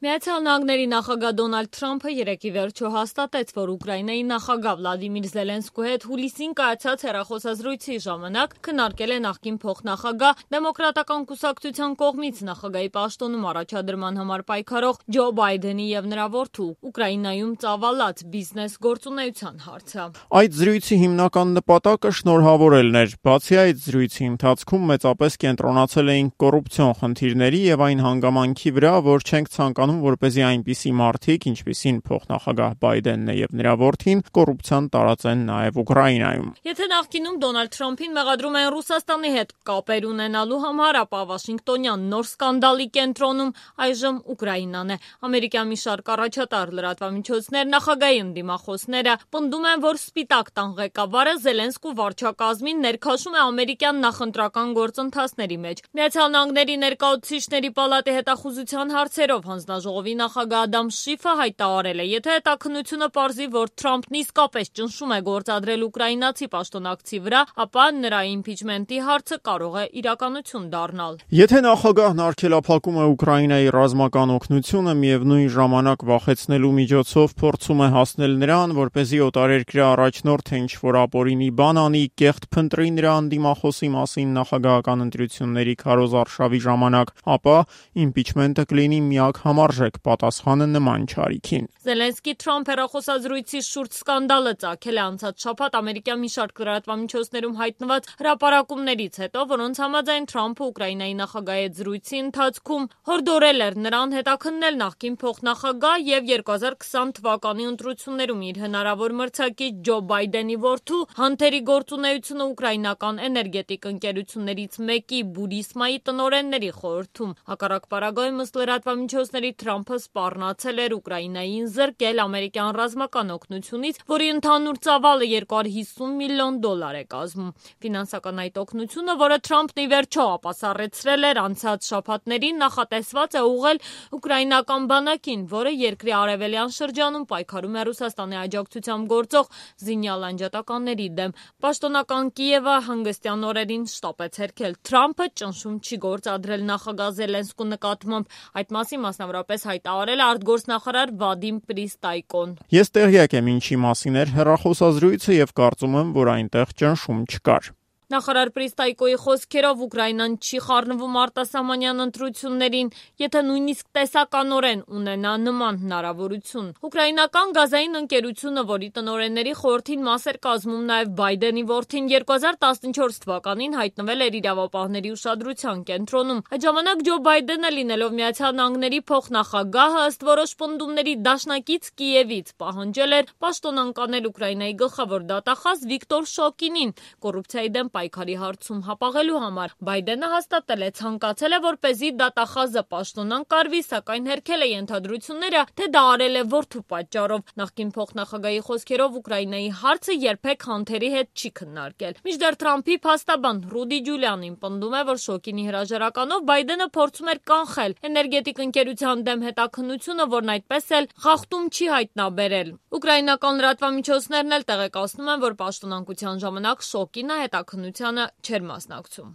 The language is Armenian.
Միացյալ Նահանգների նախագահ Դոնալդ Թրամփը երեկ ի վերջո հաստատեց, որ Ուկրաինայի նախագահ Վլադիմիր Զելենսկու հետ հուլիսին կայացած հեռախոսազրույցի ժամանակ քննարկել է նախկին փոխնախագահ Դեմոկրատական կուսակցության կողմից նախագահի պաշտոնում առաջադրման համար պայքարող Ջո Բայդենի և նրա որդու Ուկրաինայում ծավալած բիզնես գործունեության հարցը։ Այդ զրույցի հիմնական նպատակը շնորհավորելն էր։ Բացի այդ, զրույցի ընթացքում մեծապես կենտրոնացել էինք կոռուպցիոն խնդիրների և այն հանգամանքի վրա, որ չենք ցանկանում, որպեսզի այնպիսի մարդիկ, ինչպիսին փոխնախագահ Բայդենն է և նրա որդին, կոռուպցիան տարածեն նաև Ուկրաինայում։ Եթե նախկինում Դոնալդ Թրամփին մեղադրում են Ռուսաստանի հետ կապեր ունենալու համար, ապա Վաշինգտոնյան նոր սկանդալի կենտրոնում այժմ Ուկրաինան է։ Ամերիկյան մի շարք առաջատար լրատվամիջոցներ նախագահի ընդդիմախոսները պնդում են, որ Սպիտակ տան ղեկավարը Զելենսկու վարչակազմին ներքաշում է ամերիկյան նախընտրական գործընթացների մեջ։ Միացյալ Նահանգների ներկայացուցիչների պալատի հետախուզության հարցերով հանձնաժողովի նախագահ Ադամ Շիֆը հայտարարել է, եթե հետաքննությունը պարզի, որ Թրամփն իսկապես ճնշում է գործադրել ուկրաինացի պաշտոնակցի վրա, ապա նրա իմպիչմենտի հարցը կարող է իրականություն դառնալ։ Եթե նախագահն արգելափակում է Ուկրաինայի ռազմական օգնությունը, միևնույն ժամանակ վախեցնելու միջոցով փորձում է հասնել նրան, որպեսզի օտարերկրյա առաջնորդը ինչ-որ ապօրինի բան անի, կեղտ փնտրի նրա ընդդիմախոսի մասին նախագահական ընտրությունների քարոզարշավի ժամանակ, ապա իմպիչմենտը կլինի միակ համարժեք պատասխանը նման չարիքին։ Զելենսկի-Թրամփ հեռախոսազրույցի շուրջ սկանդալը ծագել է անցած շաբաթ ամերիկյան մի շարք լրատվամիջոցներում հայտնված հրապարակումներից հետո, որոնց համաձայն Թրամփը Ուկրաինայի նախագահի հետ զրույցի ընթացքում հորդորել էր նրան հետաքննել նախկին փոխնախագահ և 2020 թվականի ընտրություններում իր հնարավոր մրցակից Ջո Բայդենի որդու Հանթերի գործունեությունը ուկրաինական էներգետիկ ընկերություններից մեկի Բուրիսմայի տնօրենների խորհրդում։ Հակառակ պարագայում, ըստ լրատվամիջոցների, Թրամփը սպառնացել էր Ուկրաինային զրկել ամերիկյան ռազմական օգնությունից, որի ընդհանուր ծավալը $250 միլիոն է կազմում։ Ֆինանսական այդ օգնությունը, որը Թրամփն ի վերջո ապասառեցրել էր անցած շաբաթներին, նախատեսված է ուղղել ուկրաինական բանակին, որը երկրի արևելյան շրջանում պայքարում է Ռուսաստանի աջակցությամբ գործող զինյալ անջատականների դեմ։ Պաշտոնական Կիևը հանգստյան օրերին շտապ է ցերքել Թրամփը ճնշում չի գործադրել նախագահ Զելենսկու նկատմամբ։ Այդ մասին մասնավորապես հայտարարել է արտգործնախարար Վադիմ Պրիստայկոն։ Ես տեղյակ եմ ինչի մասին էր հեռախոսազրույցը և կարծում եմ, որ այնտեղ ճնշում չկար։ Նախարար Պրիստայկոյի խոսքերով Ուկրաինան չի խառնվում արտասահմանյան ընտրություններին, եթե նույնիսկ տեսականորեն ունենա նման հնարավորություն։ Ուկրաինական գազային ընկերությունը, որի տնօրենների խորհրդին մաս էր կազմում նաև Բայդենի որդին, 2014 թվականին հայտնվել էր իրավապահների ուշադրության կենտրոնում։ Այդ ժամանակ Ջո Բայդենը, լինելով Միացյալ Նահանգների փոխնախագահը, ըստ որոշ պնդումների դաշնակից Կիևից, պահանջել էր պաշտոնանկանել Ուկրաինայի գլխավոր դատախազ Վիկտոր Շոկինին կոռուպցիայի դեմ պայքարի հարցում հապաղելու համար։ Բայդենը հաստատել է, ցանկացել է, որպեսզի դատախազը պաշտոնանկարվի, սակայն հերքել է ենթադրությունները, թե դա արել է որդու պատճառով։ Նախկին փոխնախագահի խոսքերով Ուկրաինայի հարցը երբեք Հանթերի հետ չի քննարկել։ Մինչդեռ Թրամփի փաստաբան Ռուդի Ջուլիանին պնդում է, որ Շոկինի հրաժարականով Բայդենը փորձում էր կանխել էներգետիկ ընկերության դեմ հետաքննությունը, որն այդպես էլ խախտում չի հայտնաբերել։ Ուկրաինական լրատվամիջոցներն էլ տեղեկացնում են, որ պաշտոնանկության ժամանակ Շոկինը հետաքննությանը չէր մասնակցում։